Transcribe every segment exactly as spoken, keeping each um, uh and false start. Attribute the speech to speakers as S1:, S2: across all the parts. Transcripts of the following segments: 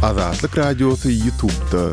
S1: Azatlyk Radiosy YouTube'da.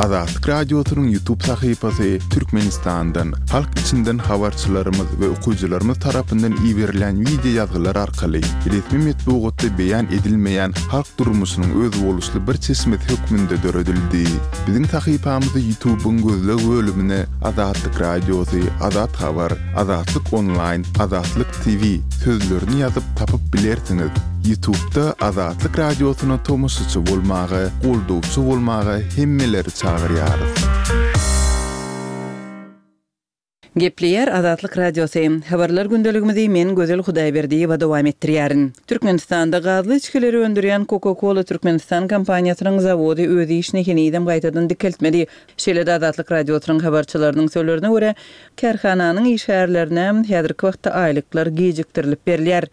S1: Azatlyk Radiosynyň YouTube sahypasy Türkmenistandan, halk içinden habarçylarymyz we okyjylarymyz tarapyndan iberilen wideo ýazgylar arkaly resmi metbugatda beýan edilmeýän halk durmuşynyň özboluşly bir çeşmesi hökmünde döredildi. Biziň sahypamyzy YouTube'yň gözleg bölümine Azatlyk Radiosy, Azat Habar, Azatlyk Online, Azatlyk T V sözlerini ýazyp tapyp bilersiňiz. YouTube'da Azatlyk Radiosyna tomaşaçy bolmaga, goldawçy bolmaga hemmeleri çagyrýarys.
S2: Gepleýär Azatlyk Radiosy. Habarlar gündeligimizi men Gözel Hudaýberdiýewa dowam etdirýärin. Türkmenistanda gazly içgileri öndürýän Coca-Cola Türkmenistan kompaniýasynyň zawody öz işini henizem gaýtadan dikeltmedi. Şeýle-de Azatlyk Radiosynyň habarçylarynyň sözlerine görä, kärhananyň işgärlerine häzirki wagtda aýlyklar gijikdirilip berilýär.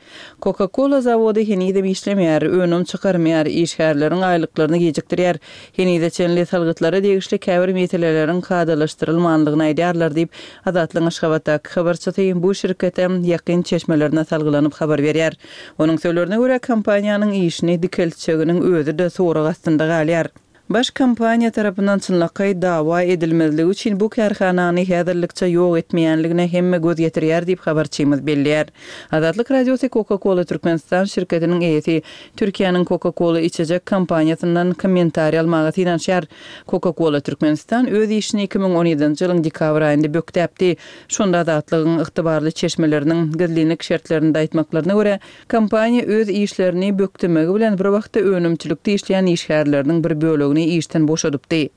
S2: Coca-Cola zawody henizem işlemeýär, önüm çykarmaýar, işgärleriň aýlyklaryny gijikdirýär. Henize çenli salgytlara degişli käbir meseleleriň kadalaşdyrylmanlygyny aýdýarlar diýip, Azatlygyň Aşgabatdaky habarçysy bu şirkete ýakyn çeşmelerine salgylanyp habar berýär. Onuň sözlerine görä, kompaniýanyň işini dikeltjeginiň özi-de sorag astynda galýar. Baş kompaniýa tarapyndan çynlakaý dawa edilmezligi üçin bu kärhanany häzirlikçe ýok etmeýänligine hemme göz getirýär diýip habarçymyz belleýär. Azatlyk Radiosy Coca-Cola Türkmenistan şirketiniň eýesi Türkiýäniň Coca-Cola içecek kompaniýasyndan kommentariý almaga synanyşýar. Coca-Cola Türkmenistan öz işini iki müň on ýedinji ýylyň dekabr aýynda bökdäpdi. Şonda Azatlygyň ygtybarly çeşmeleriniň gizlinlik şertlerinde aýtmaklaryna görä, kompaniýa öz işlerini bökdemegi bilen bir wagtda önümçilikde işleýän işgärleriniň bir bölegini işden boşadypdy.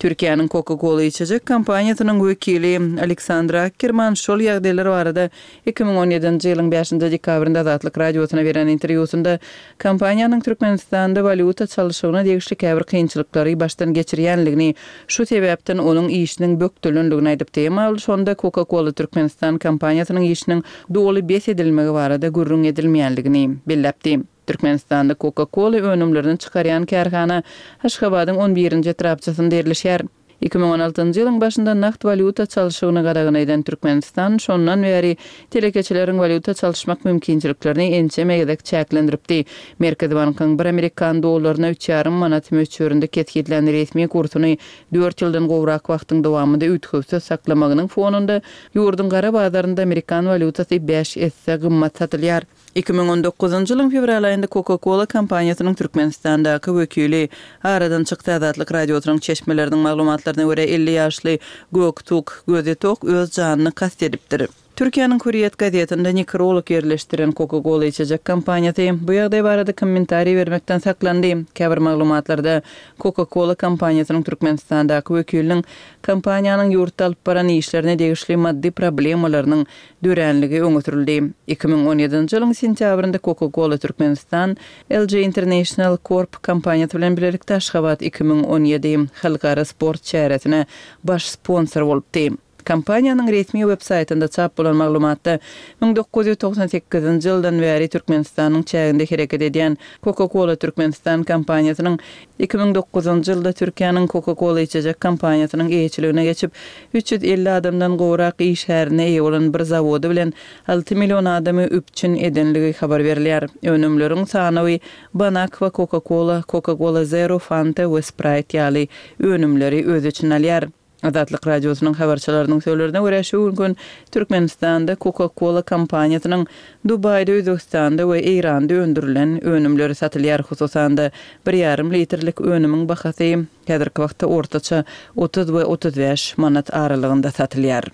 S2: Türkiýäniň Coca-Cola içecek kompaniýasynyň wekili Aleksandra Akkerman şol ýagdaýlar barada iki müň on ýedinji ýylyň bäşinji dekabrynda Azatlyk Radiosyna beren interwýusynda kompaniýanyň Türkmenistanda walýuta çalşygyna degişli käbir kynçylyklary başdan geçirýänligini, şu sebäpden onuň işiniň bökdelenligini aýdypdy. Emma ol şonda Coca-Cola Türkmenistan kompaniýasynyň işiniň doly bes edilmegi barada gürrüň edilmeýänligini belläpdi. Türkmenistanda Coca-Cola önümlerini çykarýan kärhana Aşgabadyň on birinji etrapçasynda ýerleşýär. iki müň on altynjy ýylyň başynda nagt walýuta çalşygyny gadagan eden Türkmenistan şondan bäri telekeçileriň walýuta çalyşmak mümkinçiliklerini ençeme gezek çäklendiripdi. Merkezi bankyň bir amerikan dollaryna üç ýarym manat möçberinde kesgitlän resmi kursuny dört ýyldan gowrak wagtyň dowamynda üýtgewsiz saklamagynyň fonunda ýurduň gara bazarynda amerikan walýutasy bäş esse gymmat satylýar. iki müň on dokuzynjy ýylyň fewral aýynda Coca-Cola kompaniýasynyň Türkmenistandaky wekili aradan çykdy. Azatlyk Radiosynyň çeşmeleriniň maglumatlaryna görä, elli ýaşly Göktug Gözetok öz janyny kast edipdir. Türkiýäniň Hürriyet gazetinde nekrolog ýerleşdiren Coca-Cola içecek kompaniýasy bu ýagdaý barada kommentariý bermekden saklandy. Käbir maglumatlarda Coca-Cola kompaniýasynyň Türkmenistandaky wekiliniň kompaniýanyň ýurtda alyp baran işlerine degişli maddy problemalarynyň döränligi öňe sürüldü. iki müň on ýedinji ýylyň sentýabrynda Coca-Cola Türkmenistan L G International Corp kompaniýasy bilen birlikde Aşgabat iki müň on ýedi halkara sport çäresine baş sponsor bolupdy. Kompaniýanyň resmi web saýtynda çap bolan maglumatda müň dokuz ýüz togsan sekizinji ýyldan bäri Türkmenistanyň çäginde hereket edýän Coca-Cola Türkmenistan kompaniýasynyň iki müň dokuzynjy ýylda Türkiýäniň Coca-Cola içecek kompaniýasynyň eýeçiligine geçip, üç ýüz elli adamdan gowrak işgärine eýe bolan bir zawody bilen alty million adamy üpjün edenligi habar berilýär. Önümleriň sanawy Bonaqua, Coca-Cola, Coca-Cola Zero, Fanta we Sprite ýaly önümleri öz içine alýar. Azatlyk Radiosynyň habarçylarynyň sözlerine görä, şu gün Türkmenistanda Coca-Cola kompaniýasynyň Dubaýda, Özbekistanda we Eýranda öndürilen önümleri satylýar. Hususan-da, bir ýarym litrlik önümiň bahasy häzirki wagtda ortaça otuz we otuz bäş manat aralygynda satylýar.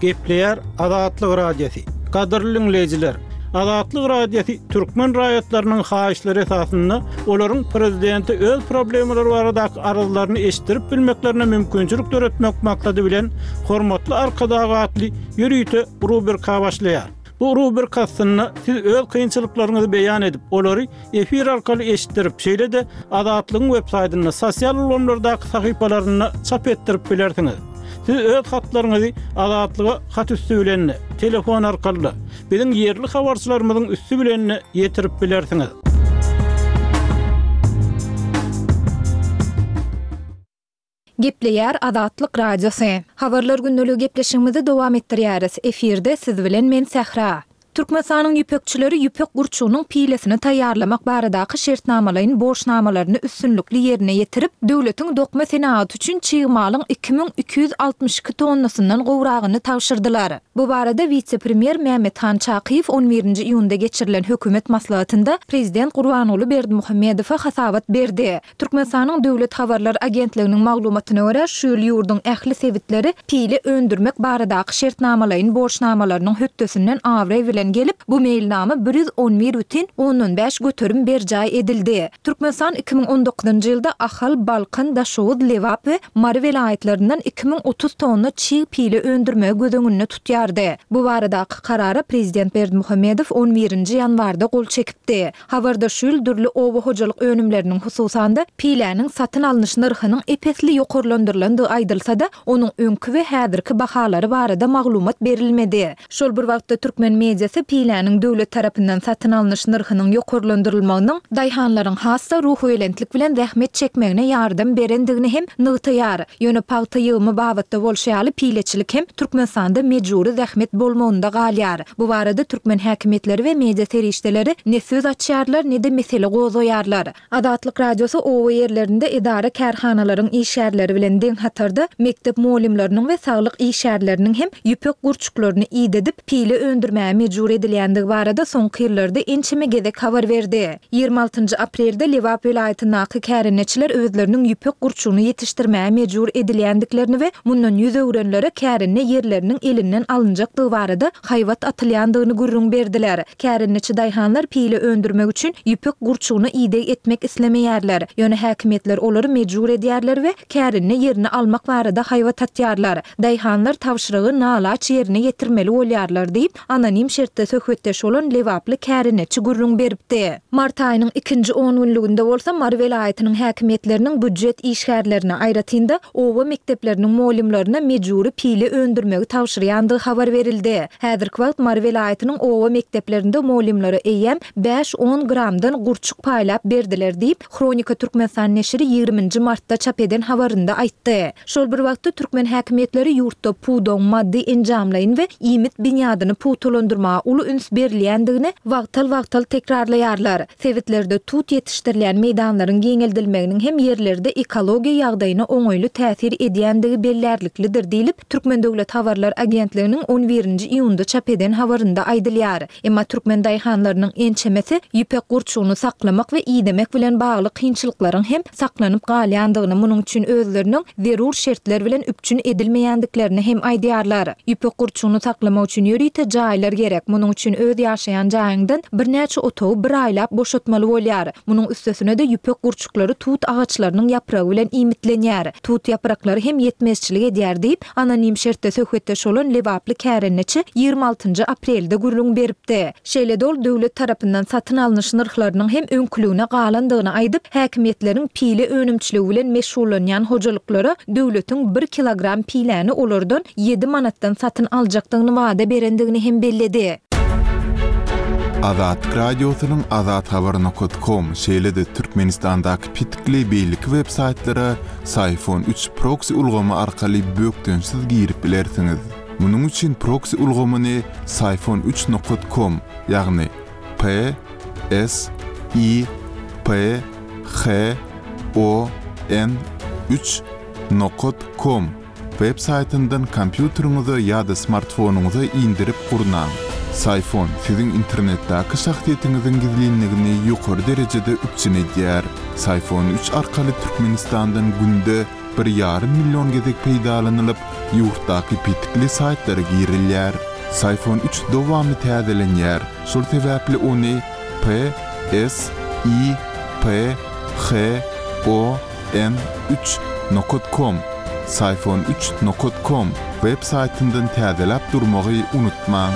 S3: Gepleýär Azatlyk Radiosy. Gadyrly dinleýjiler, Azatlyk Radiosy türkmen raýatlarynyň haýyşlary esasynda olaryň prezidenti öz problemalary baradaky arzlaryny eşitdirip bilmeklerine mümkinçilik döretmek maksady bilen Hormatly Arkadag atly ýörite rubrika başlaýar. Bu rubrika aslynda siz öz kynçylyklaryňyzy beýan edip, olary efir arkaly eşitdirip, şeýle-de Azatlygyň web saýtynda, sosial ulgamlardaky sahypalarynda çap etdirip bilersiňiz. Siz öz hatlaryňyzy Azatlyga hat üstü bilen, telefon arkaly, biziň ýerli habarçylarymyzyň üstü bilen ýetirip bilersiňiz.
S4: Gepleýär Azatlyk Radiosy. Habarlar gündeligi gepleşigimizi dowam etdirýäris. Efirde siz bilen men Sähra. Türkmenistanyň ýüpekçileri ýüpek gurçugynyň pilesini taýýarlamak baradaky şertnamalaýyn borçnamalaryny üstünlikli ýerine ýetirip, döwletiň dokma senagaty üçin çig malyň iki müň iki ýüz altmyş iki tonnasyndan gowragyny tabşyrdylar. Bu barada wise-premýer Mämmethan Çakyýew on birinji iýunda geçirilen hökümet maslahatynda prezident Gurbanguly Berdimuhamedowa hasabat berdi. Türkmenistanyň Döwlet habarlar agentliginiň maglumatyna görä, şu ýyl ýurduň ähli sebitleri pile öndürmek baradaky şertnamalaýyn borçnamalarynyň hötdesinden abraý bilen gelip, bu meýilnama bir ýüz on bir bütin ondan bäş göterim berjaý edildi. Türkmenistan iki müň on dokuzynjy ýylda Ahal, Balkan, Daşoguz, Lebap we Mary welaýatlaryndan iki müň otuz tonna çig pile öndürmegi göz öňünde tutýardy. Bu baradaky karara prezident Berdimuhamedow on birinji ýanwarda gol çekipdi. Habarda şu ýyl dürli oba hojalyk önümleriniň, hususan-da, piläniň satyn alnyş nyrhynyň ep-esli ýokarlandyrylandygy aýdylsa-da, onuň öňki we häzirki bahalary barada maglumat berilmedi. Şol bir wagtda türkmen mediasy piläniň döwlet tarapyndan satyn alnyş nyrhynyň ýokarlandyrylmagynyň daýhanlaryň has-da ruhubelentlik bilen zähmet çekmegine ýardam berendigini hem nygtaýar. Ýöne pagta ýygymy babatda bolşy ýaly pileçilik hem Türkmenistanda mejbury zähmet bolmagynda galýar. Bu barada türkmen häkimiýetleri we media serişdeleri ne söz açýarlar, ne-de mesele gozgaýarlar. Azatlyk Radiosy oba ýerlerinde edara-kärhanalaryň işgärleri bilen deň hatarda mekdep mugallymlarynyň we saglyk işgärleriniň hem ýüpek gurçuklaryny idedip, pile öndürmäge mejbur edilýändigi barada soňky ýyllarda ençeme gezek habar berdi. Ýigrimi altynjy aprelde Lebap welaýatyndaky kärendeçiler özleriniň ýüpek gurçugyny ýetişdirmäge mejbur edilýändiklerini we mundan ýüz öwrenlere kärende ýerleriniň elinden alynjakdygy barada haýbat atylýandygyny gürrüň berdiler. Kärendeçi daýhanlar pile öndürmek üçin ýüpek gurçugyna ideg etmek islemeýärler. Ýöne häkimiýetler olary mejbur edýärler we kärende ýerini almak barada haýbat atýarlar. Daýhanlar tabşyrygy nalaç ýerine ýetirmeli bolýarlar diýip, anonim şertde söhbetdeş bolan lebaply kärendeçi gürrüň beripdi. Mart aýynyň ikinji on günlüginde bolsa Mary welaýatynyň häkimiýetleriniň býujet işgärlerine, aýratyn-da oba mekdepleriniň mugallymlaryna mejbury pile öndürmegi tabşyrýandygy habar berildi. Häzirki wagt Mary welaýatynyň oba mekdeplerinde mugallymlara eýýäm bäş-on gramdan gurçuk paýlap berdiler diýip, Hronika Türkmenistan neşiri ýigriminji martda çap eden habarynda aýtdy. Şol bir wagtda türkmen häkimiýetleri ýurtda pudagyň maddy-enjamlaýyn we iýmit binýadyny pugtalandyrmaga uly üns berilýändigini wagtal-wagtal tekrarlaýarlar. Sebitlerde tut ýetişdirilýän meýdanlaryň giňeldilmeginiň hem ýerlerde ekologiýa ýagdaýyna oňaýly täsir edýändigi bellärliklidir diýlip, Türkmen döwlet habarlar agentliginiň on birinji iýunda çap eden habarynda aýdylýar. Emma türkmen daýhanlarynyň ençemesi ýüpek gurçugyny saklamak we idemek bilen bagly kynçylyklaryň hem saklanyp galýandygyny, munuň üçin özleriniň zerur şertler bilen üpjün edilmeýändiklerini hem aýdýarlar. Ýüpek gurçugyny saklamak üçin ýörite jaýlar gerek. Munuň üçin öz ýaşaýan jaýyňdan birnäçe otagy bir aýlap boşatmaly bolýar. Munuň üstesine-de ýüpek gurçuklary tut agaçlarynyň ýapragy bilen iýmitlenýär. Tut ýapraklary hem ýetmezçilik edýär diýip, anonim şertde söhbetdeş bolan lebaply kärendeçi ýigrimi altynjy aprelde gürrüň beripdi. Şeýle-de ol döwlet tarapyndan satyn alnyş nyrhlarynyň hem öňküligine galandygyny aýdyp, häkimiýetleriň pile önümçiligi bilen meşgullanýan hojalyklara döwletiň bir kilogram piläni olardan ýedi manatdan satyn aljakdygyny wada berendigini hem belledi.
S1: Azatlyk Radiosynyň azathabar nokat kom, şeýle-de Türkmenistandaky petikli beýleki web-saýtlara Syfon üç proksi ulgamy arkaly bökdençsiz girip bilersiňiz. Munuň üçin proksi ulgamyny Syfon üç nokat kom, ýagny P S I P H O N üç nokat kom web saýtyndan kompýuteriňize ýa-da smartfonyňyza indirip gurnaň. Syfon siziň internetdäki şahsyýetiňiziň gizlinligini ýokary derejede üpjün edýär. Syfon üç arkaly Türkmenistandan günde bir ýarym million gezek peýdalanylyp, ýurtdaky petikli saýtlara girilýär. Syfon üç dowamly täzelenýär. Şol sebäpli ony P S I P H O N üç nokat kom, Syfon üç nokat kom web saýtyndan täzeläp durmagy unutmaň.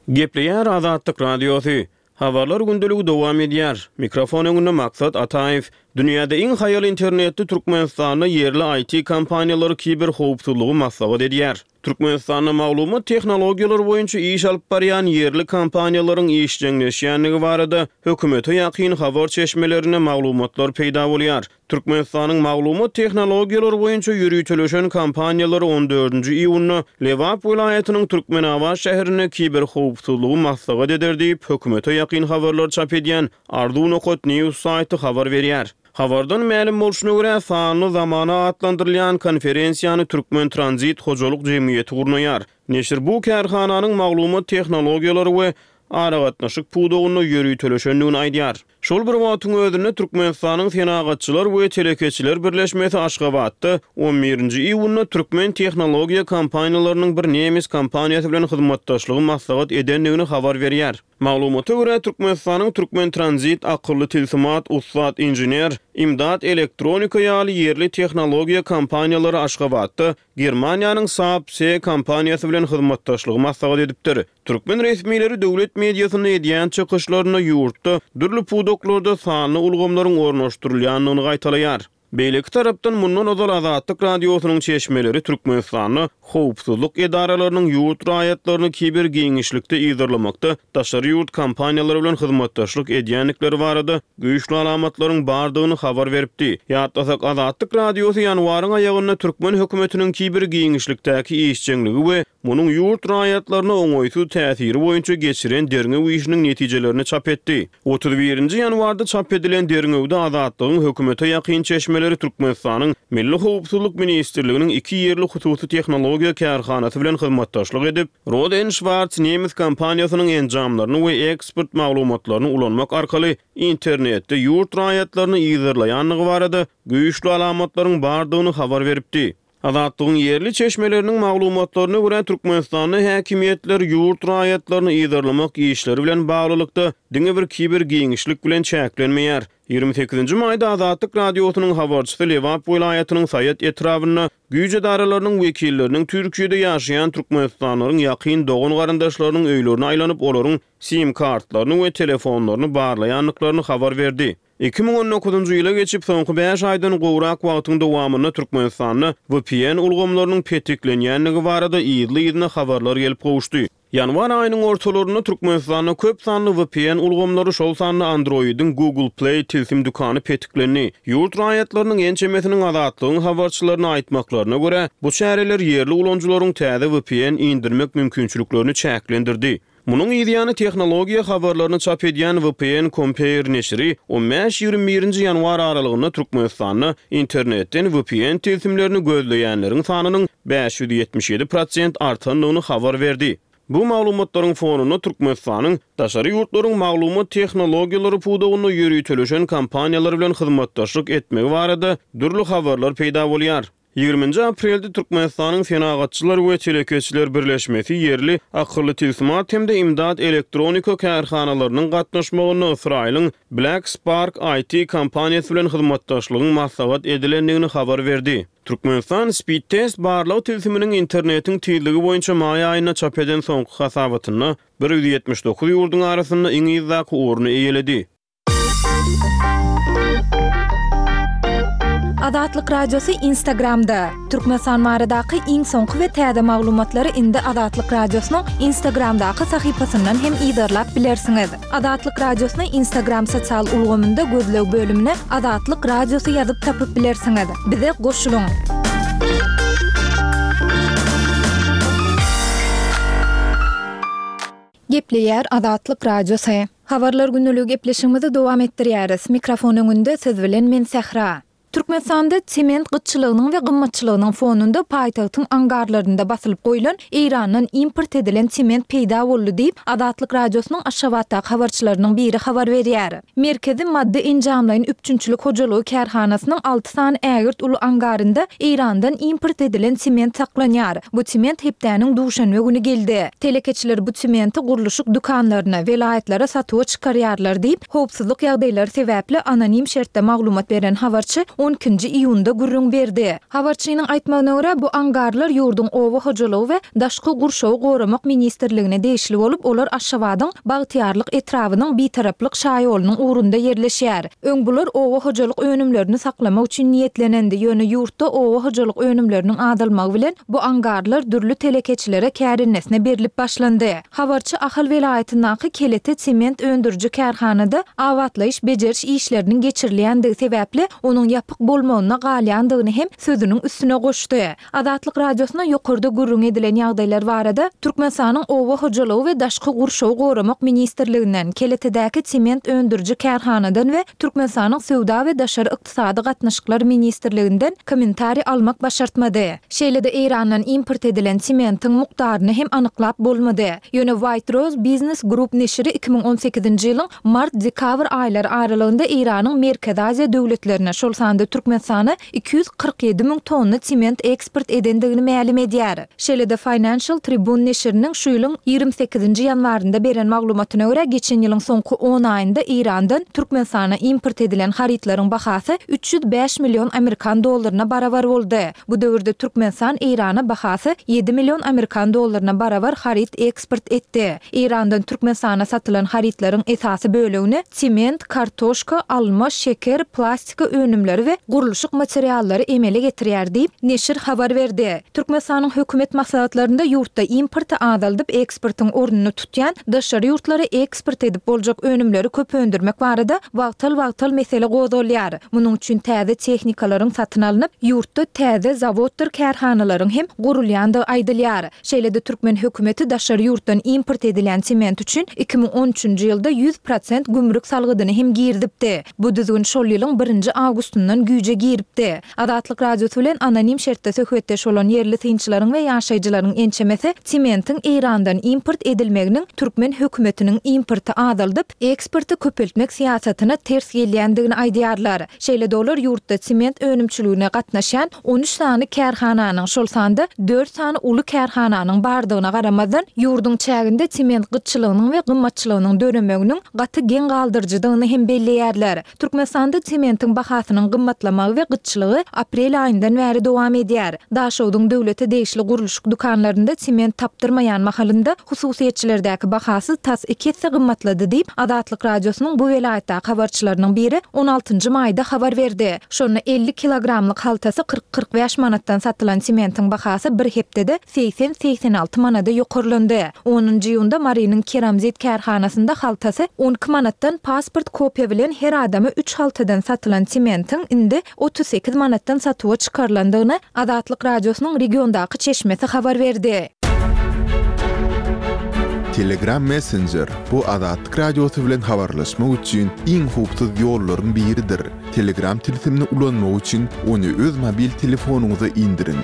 S5: Gepleýär Azatlyk Radiosy. Habarlar gündeligi dowam edýär. Mikrofon öňünde Maksat Ataýew. Dünýäde iň haýal internetli Türkmenistanda ýerli I T kompaniýalary kiberhowpsuzlygy maslahat edýär. Türkmenistanda maglumat tehnologiýalary boýunça iş alyp barýan ýerli kompaniýalaryň işjeňleşýändigi barada hökümete ýakyn habar çeşmelerinde maglumatlar peýda bolýar. Türkmenistanyň maglumat tehnologiýalary boýunça ýöriteleşen kompaniýalary on dördünji iýunda Lebap welaýatynyň Türkmenabat şäherinde kiberhowpsuzlygy maslahat eder diýip, hökümete ýakyn habarlar çap edýän Arzuw nokat news saýty habar berýär. Habardan mälim bolşuna görä, sanly zamana atlandyrylýan konferensiýany Türkmen Tranzit hojalyk jemgyýeti gurnaýar. Neşir bu kärhananyň maglumat tehnologiýalary we aragatnaşyk pudagynda ýöriteleşendigini aýdýar. Şol bir wagtyň özünde Türkmenistanyň Senagatçylar we Telekeçiler birleşmesi Aşgabatda on birinji iýunda türkmen tehnologiýa kompaniýalarynyň bir nemes kompaniýasy bilen hyzmatdaşlygy maslahat edendigini habar berýär. Maglumata görä, Türkmenistanyň Türkmen Tranzit, Akylly Tilsimat, Ussat Inžener, Imdat Elektronika ýaly ýerli tehnologiýa kompaniýalary Aşgabatda Germaniýanyň S A P S kompaniýasy bilen hyzmatdaşlygy maslahat edipdir. Türkmen resmileri döwlet mediasynda edýän çykyşlarynda ýurtda dürli pudaklarda sanly ulgamlaryň ornaşdyrylýandygyny gaýtalaýar. Beýleki tarapdan mundan ozal Azatlyk radiosynyň çeşmeleri Türkmenistanda howpsuzlyk edaralarynyň ýurt raýatlaryny kiber giňişlikde yzarlamakda daşary ýurt kompaniýalary bilen hyzmatdaşlyk edýändikleri barada güýçli alamatlaryň bardygyny habar beripdi. Ýatlasak, Azatlyk radiosy ýanwaryň aýagynda türkmen hökümetiniň kiber giňişlikdäki işjeňligi we munuň ýurt raýatlaryna oňaýsyz täsiri boýunça geçiren derňew işiniň netijelerini çap etdi. Otuz birinji ýanwarda çap edilen derňewde Azatlygyň hökümete ýakyn çeşmeleri Türkmenistanyň Milli Howpsuzlyk Ministrliginiň iki ýerli hususy tehnologiýa kärhanasy bilen hyzmatdaşlyk edip, Rohde and Schwarz nemes kompaniýasynyň enjamlaryny we eksport maglumatlaryny ulanmak arkaly internetde ýurt raýatlaryny yzarlaýandygy barada güýçli alamatlaryň bardygyny habar beripdi. Azatlygyň ýerli çeşmeleriniň maglumatlaryna görä, Türkmenistanda häkimiýetler ýurt raýatlaryny yzarlamak işleri bilen baglylykda diňe bir kiber giňişlik bilen çäklenmeýär. Ýigrimi sekizinji maýda Azatlyk radiosynyň habarçysy Lebap welaýatynyň Saýat etrabynda güýç edaralarynyň wekilleriniň Türkiýede ýaşaýan Türkmenistanlaryň ýakyn dogan garyndaşlarynyň öýlerine aýlanyp, olaryň sim kartlaryny we telefonlaryny barlaýandyklaryny habar berdi. Iki müň on dokuzynjy ýyla geçip, soňky bäş aýdan gowrak wagtyň dowamynda Türkmenistanda V P N ulgamlarynyň petiklenýändigi barada yzly-yzyna habarlar gelip gowuşdy. Ýanwar aýynyň ortalarynda Türkmenistanda köp sanly V P N ulgamlary, şol sanda Android-iň Google Play tilsim dükany petiklendi. Ýurt raýatlarynyň ençemesiniň Azatlygyň habarçylaryna aýtmaklaryna görä, bu çäreler ýerli ulanyjylaryň täze V P N indirmek mümkinçiliklerini çäklendirdi. Munuň ýany tehnologiýa habarlaryny çap edýän V P N Compare neşiri on bäş ýigrimi birinji ýanwar aralygynda Türkmenistanda internetden V P N tilsimlerini gözleýänleriň sanynyň bäş ýüz ýetmiş ýedi prosent artandygyny habar berdi. Bu maglumatlaryň fonunda Türkmenistanyň daşary ýurtlaryň maglumat tehnologiýalary pudagynda ýöriteleşen kompaniýalar bilen hyzmatdaşlyk etmegi barada dürli habarlar peýda bolýar. Ýigriminji aprelde Türkmenistanyň Senagatçylar we Telekeçiler Birleşmesi ýerli akylly tilsimat hem-de imdat elektronika kärhanalarynyň gatnaşmagynda Ysraýylyň Black Spark I T kompaniýasy bilen hyzmatdaşlygyň maslahat edilendigini habar berdi. Türkmenistan Speed Test barlag tilsiminiň internetiň tizligi boýunça maý aýynda çap eden soňky hasabatynda bir ýüz ýetmiş dokuz ýurduň arasynda iň yzdaky orny eýeledi.
S4: Azatlyk Radiosy Instagramda. Türkmenistan baradaky iň soňky we täze maglumatlary indi Azatlyk Radiosynyň Instagramdaky sahypasyndan hem yzarlap bilersiňiz. Azatlyk Radiosyny Instagram sosial ulgamynda gözleg bölümine Azatlyk Radiosy ýazyp tapyp bilersiňiz. Bize goşulyň. Gepleýär Azatlyk Radiosy. Habarlar günlügi gepleşigimizi dowam etdirýäris. Mikrofon öňünde siz bilen men Sähra. Türkmenistanda sement gytçylygynyň we gymmatçylygynyň fonunda paýtagtyň angarlarynda basylyp goýlan Eýrandan import edilen sement peýda boldy diýip, Azatlyk Radiosynyň Aşgabatdaky habarçylarynyň biri habar berýär. Merkezi maddy enjamlaýyn üpjünçilik hojalygy kärhanasynyň alty sany ägirt uly angarynda Eýrandan import edilen sement saklanýar. Bu sement hepdäniň duşenbe güni geldi. Telekeçiler bu sementi gurluşyk dükanlaryna, welaýatlara satuwa çykarýarlar diýip, howpsuzlyk ýagdaýlary sebäpli anonim şertde maglumat beren habarçy on ikinji iýunda gürrüň berdi. Habarçynyň aýtmagyna görä, bu angarlar ýurduň Oba hojalygy we daşky gurşawy goramak ministrligine degişli bolup, olar Aşgabadyň Bagtyýarlyk etrabynyň Bitaraplyk şaýolunyň ugrunda ýerleşýär. Öň bular oba hojalyk önümlerini saklamak üçin niýetlenendi, ýöne ýurtda oba hojalyk önümleriniň azalmagy bilen bu angarlar dürli telekeçilere kärendenesine berlip başlandy. Habarçy Ahal welaýatyndaky Kelete sement öndüriji kärhanada abatlaýyş-bejeriş işleriniň geçirilýändigi sebäpli onuň ýapyk bolmagyna galýandygyny hem sözüniň üstüne goşdy. Azatlyk Radiosyna ýokarda gürrüňi edilen ýagdaýlar barada Türkmenistanyň Oba hojalygy we daşky gurşawy goramak ministrliginden, Keletedäki sement öndüriji kärhanadan we Türkmenistanyň Söwda we daşary ykdysady gatnaşyklar ministrliginden kommentariý almak başartmady. Şeýle-de Eýrandan import edilen sementiň mukdaryny hem anyklap bolmady. Ýöne White Rose Business Group neşiri iki müň on sekizinji ýylyň mart-dekabr aýlary aralygynda Eýranyň Merkezi Aziýa döwletlerine, şol sanda Türkmenistana iki ýüz kyrk ýedi müň tonna sement eksport edendigini mälim edýär. Şeýle-de Financial Tribune neşiriniň şu ýylyň ýigrimi sekizinji ýanwarynda beren maglumatyna görä, geçen ýylyň soňky on aýynda Eýrandan Türkmenistana import edilen harytlaryň bahasy üç ýüz bäş million amerikan dollaryna barabar boldy. Bu döwürde Türkmenistan Eýrana bahasy ýedi million amerikan dollaryna barabar haryt eksport etdi. Eýrandan Türkmenistana satylan harytlaryň esasy bölegini sement, kartoşka, alma, şeker, plastika önümleri we gurluşyk materiallary emele getirýär diýip, neşir habar berdi. Türkmenistanyň hökümet maslahatlarynda ýurtda importy azaldyp, eksportyň ornuny tutýan daşary ýurtlara eksport edip boljak önümleri köp öndürmek barada wagtal-wagtal mesele gozgalýar. Munuň üçin täze tehnikalaryň satyn alnyp, ýurtda täze zawoddyr kärhanalaryň hem gurulýandygy aýdylýar. Şeýle-de türkmen hökümeti daşary ýurtdan import edilen sement üçin iki müň on üçünji ýylda ýüz prosent gümrük salgydyny hem girizipdi. Bu düzgün şol ýylyň birinji awgustyndan güýje giripdi. Azatlyk Radiosy bilen anonim şertde söhbetdeş bolan ýerli synçylaryň we ýaşaýjylaryň ençemesi sementiň Eýrandan import edilmeginiň türkmen hökümetiniň importy azaldyp, eksporty köpeltmek syýasatyna ters gelýändigini aýdýarlar. Şeýle-de olar ýurtda sement önümçiligine gatnaşýan on üç sany kärhananyň, şol sanda dört sany uly kärhananyň bardygyna garamazdan, ýurduň çäginde sement gytçylygynyň we gymmatçylygynyň döremeginiň gaty geň galdyryjydygyny hem belleýärler. Türkmenistanda sementiň bahasynyň gymmatlamagy we gytçylygy aprel aýyndan bäri dowam edýär. Daşogduň döwlete degişli gurluşyk dükanlarynda sement tapdyrmaýan mahalynda hususyýetçilerdäki bahasy tas iki esse gymmatlady diýip, Azatlyk Radiosynyň bu welaýatdaky habarçylarynyň biri on altynjy maýda habar berdi. Şonda elli kilogramlyk haltasy kyrk-kyrk bäş manatdan satylan sementiň bahasy bir hepdede segsen-segsen alty manada ýokarlandy. Onunjy iýunda Marynyň Keramzit kärhanasynda haltasy on iki manatdan pasport kopiýa bilen her adama üç haltadan satylan sementiň indi otuz sekiz manatdan satuwa çykarylandygyny Azatlyk Radiosynyň regiondaky çeşmesi habar berdi.
S1: Telegram Messenger bu Azatlyk Radiosy bilen habarlaşmak üçin iň howpsuz ýollaryň biridir. Telegram tilsimini ulanmak üçin ony öz mobil telefonyňyza indiriň.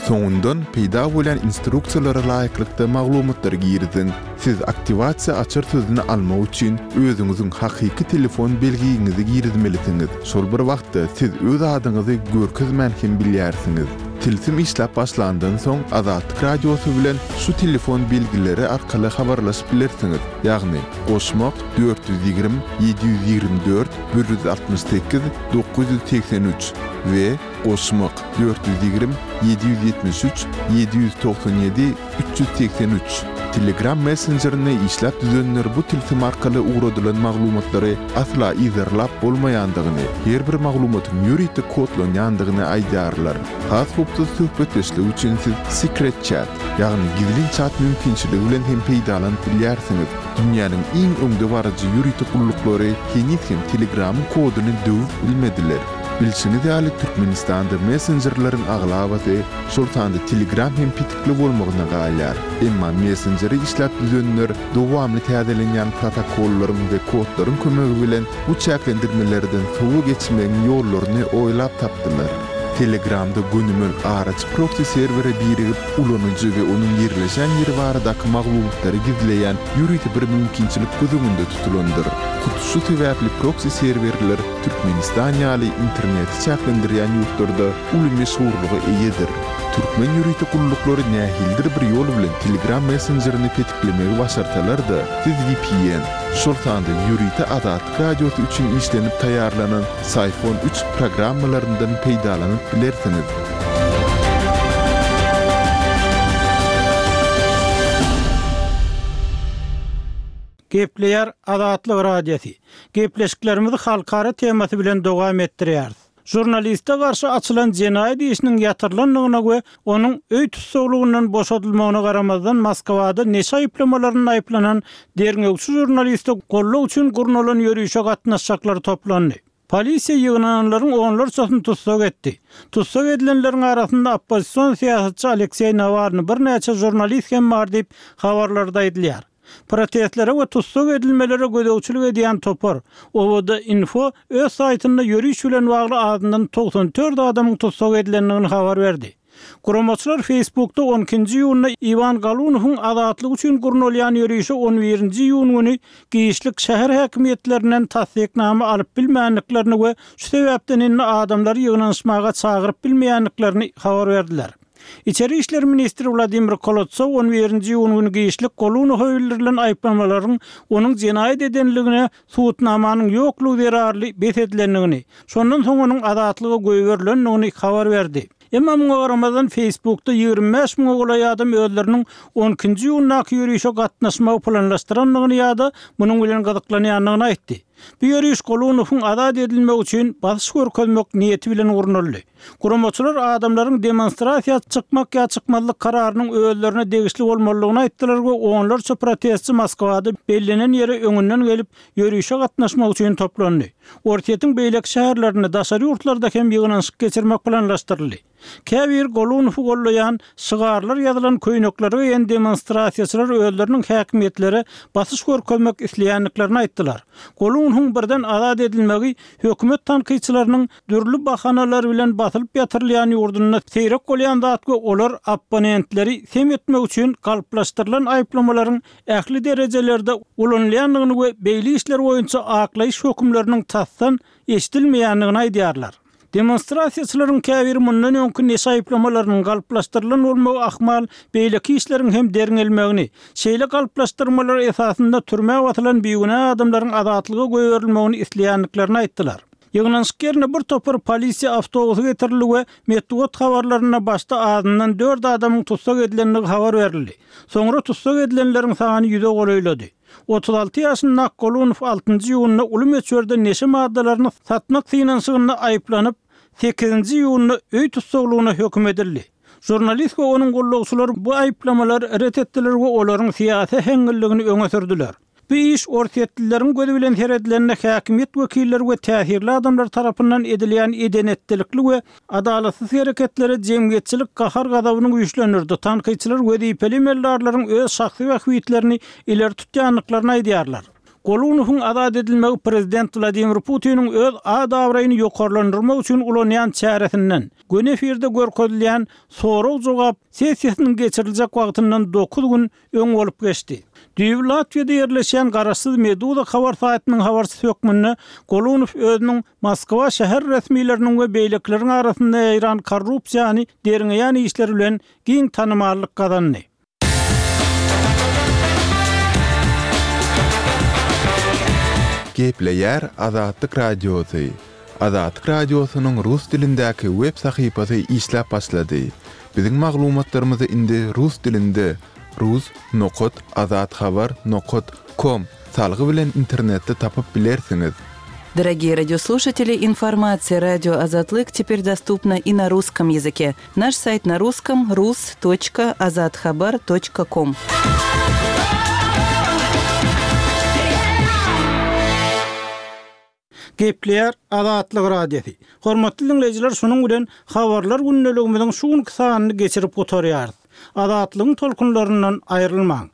S1: Soňundan peýda bolýan instruksiýalara laýyklykda maglumatlary giriziň. Siz aktiwasiýa açar sözüni almak üçin özüňiziň hakyky telefon belgiňizi girizmelisiňiz. Şol bir wagtda siz öz adyňyzy görkezmän hem bilýärsiňiz. Tilsim işläp başlandan soň Azatlyk Radiosy bilen şu telefon belgileri arkaly habarlaşyp bilersiňiz. Ýagny goşmak dört ýüz ýigrimi, ýedi ýüz ýigrimi dört, bir ýüz altmyş sekiz, dokuz ýüz segsen üç we goşmak dört ýüz ýigrimi, ýedi ýüz ýetmiş üç, ýedi ýüz togsan ýedi, üç ýüz segsen üç. Telegram messenjerini işläp düzenler bu tilsim arkaly ugradylan maglumatlary asla yzarlap bolmaýandygyny, her bir maglumatyň ýörite kodlanýandygyny aýdýarlar. Has howpsuz söhbetdeşlik üçin siz Secret Chat, ýagny gizlin chat mümkinçiligi bilen hem peýdalanyp bilýärsiňiz. Dünýäniň iň öňdebaryjy ýörite gulluklary heniz hem Telegramyň koduny döwüp bilmediler. Bilşiňiz ýaly Türkmenistanda messenjerleriň aglabasy, şol sanda Telegram hem petikli bolmagyna galýar. Emma messenjeri işläp düzenler dowamly täzelenýän protokollaryň we kodlaryň kömegi bilen bu çäklendirmelerden sowa geçmegiň ýollaryny oýlap tapdylar. Telegramda gönümel araçy proxy serwere birigip, ulanyjy we onuň ýerleşen ýeri baradaky maglumatlary gizleýän ýörite bir mümkinçilik göz öňünde tutulandyr. Hut şu sebäpli proxy serwerler Türkmenistan ýaly interneti çäklendirýän ýurtlarda uly meşhurlyga eýedir. Türkmen ýörite gulluklary nähilidir bir ýol bilen Telegram messenjerini petiklemegi başarsalar-da, siz V P N, şol sanda ýörite Azatlyk Radiosy üçin işlenip taýýarlanan Psiphon üç programmalaryndan peýdalanyp bilersiňiz.
S3: Gepleýär Azatlyk Radiosy. Gepleşiklerimizi halkara temasy bilen dowam etdirýäris. Žurnaliste garşy açylan jenaýat işiniň ýatyrylandygyna we onuň öý tussaglygyndan boşadylmagyna garamazdan Moskwada neşe aýyplamalarynda aýyplanan derňewçi žurnaliste goldaw üçin gurnalan ýörişe gatnaşjaklar toplandy. Polisiýa ýygnananlaryň onlarçasyny tussag etdi. Tussag edilenleriň arasynda oppozision syýasatçy Alekseý Nawalny, birnäçe žurnalist hem bar diýip habarlarda aýdylýar. Protestlere we tussag edilmelere gözegçilik edýän topar O W D Info öz saýtynda ýöriş bilen bagly azyndan togsan dört adamyň tussag edilendigini habar berdi. Guramaçylar Facebookda on ikinji iýunda Iwan Golunowyň azatlygy üçin gurnalýan ýörişe on birinji iýun güni giçlik şäher häkimiýetlerinden tassyknama alyp bilmändiklerini we şu sebäpden indi adamlary ýygnanyşmaga çagyryp bilmeýändiklerini habar berdiler. Içeri işler ministri Wladimir Kolotsow on birinji iýun güni giçlik Golunowa bildirilen aýyplamalaryň onuň jenaýat edenligine subutnamanyň ýoklugy zerarly bes edilendigini, şondan soň onuň azatlyga goýberilendigini habar berdi. Emma muňa garamazdan Facebookda ýigrimi bäş müňe golaý adam özleriniň on ikinji iýundaky ýörişe gatnaşmagy planlaşdyrandygyny ýa-da munuň bilen gyzyklanýandygyny aýtdy. Bu ýöriş Golunowyň azat edilmegi üçin basyş görkezmek niýeti bilen gurnaldy. Guramaçylar adamlaryň demonstrasiýa çykmak ýa çykmazlyk kararynyň özlerine degişli bolmalydygyny aýtdylar we onlarça protestçi Moskwada bellenen ýere öňünden gelip ýörişe gatnaşmak üçin toplandy. Orsýetiň beýleki şäherlerinde, daşary ýurtlarda hem ýygnanyşyk geçirmek planlaşdyryldy. Käbir Golunowy gollaýan şygarlar ýazylan köýnekleri geýen demonstrasiýaçylar özleriniň häkimiýetlere basyş görkezmek isleýändiklerini aýtdylar. Golunowyň birden azat edilmegi hökümet tankytçylarynyň dürli bahanalar bilen basylyp ýatyrylýan ýurdunda seýrek bolýan zat we olar opponentleri sem etmek üçin galplaşdyrylan aýyplamalaryň ähli derejelerde ulanylýandygyny we beýle işler boýunça aklaýyş hökümleriniň tasdan eşidilmeýändigini aýdýarlar. Demonstrasiýaçylaryň käbiri mundan öňki neşe aýyplamalarynyň galplaşdyrylan bolmagy ahmal beýleki işleriň hem derňelmegini, şeýle galplaşdyrmalar esasynda türmä basylan bigünä adamlaryň azatlyga goýberilmegini isleýändiklerini aýtdylar. Ýygnanyşyk ýerine bir topar polisiýa awtobusy getirildi we metbugat habarlarynda başda azyndan dört adamyň tussag edilendigi habar berildi. Soňra tussag edilenleriň sany ýüze golaýlady. Otuz alty ýaşyndaky Golunow altynjy iýunda uly möçberde neşe maddalaryny satmak synanyşygynda aýyplanyp, sekizinji iýunda öý tussaglygyna höküm edildi. Žurnalist we onuň gullukçylary bu aýyplamalary ret etdiler we olaryň syýasy äheňliligini öňe sürdüler. Bu iş Orsýetlileriň gözi bilen seredilende häkimiýet wekilleri we täsirli adamlar tarapyndan edilýän edenetlilikli we adalatsyz hereketlere jemgyýetçilik gahar gazabyny güýçlendirdi. Tankytçylar wezipeli emeldarlaryň öz şahsy bähbitlerini ileri tutýandyklaryny aýdýarlar. Golunowyň azat edilmegi prezident Wladimir Putiniň öz ad-abraýyny ýokarlandyrmak üçin ulanýan çäresinden, göni efirde görkezilýän sorag-jogap sessiýasynyň geçiriljek wagtyndan dokuz gün öň bolup geçdi. Düýbi Latwiýada ýerleşýän garaşsyz Meduza habar saýtynyň habarçysy hökmünde Golunow özüniň Moskwa şäher resmileriniň we beýlekileriň arasynda ýaýran korrupsiýany derňeýän işler bilen giň tanymallyk gazandy.
S1: Gepleýär Azatlyk Radiosy. Azatlyk Radiosynyň rus dilindäki web sahypasy işläp başlady. Biziň maglumatlarymyzy indi rus dilinde rus nokat azathabar nokat com salgy bilen internetde tapyp bilersiňiz.
S2: Дорогие радиослушатели, информация радио Азатлык теперь доступна и на русском языке. Наш сайт на русском rus точка azathabar точка com.
S3: Gepleýär Azatlyk Radiosy. Hormatly dinleýjiler, şunuň bilen habarlar gündeligimiziň şu günki sanyny geçirip gutarýarys. Azatlygyň tolkunlaryndan aýrylmaň.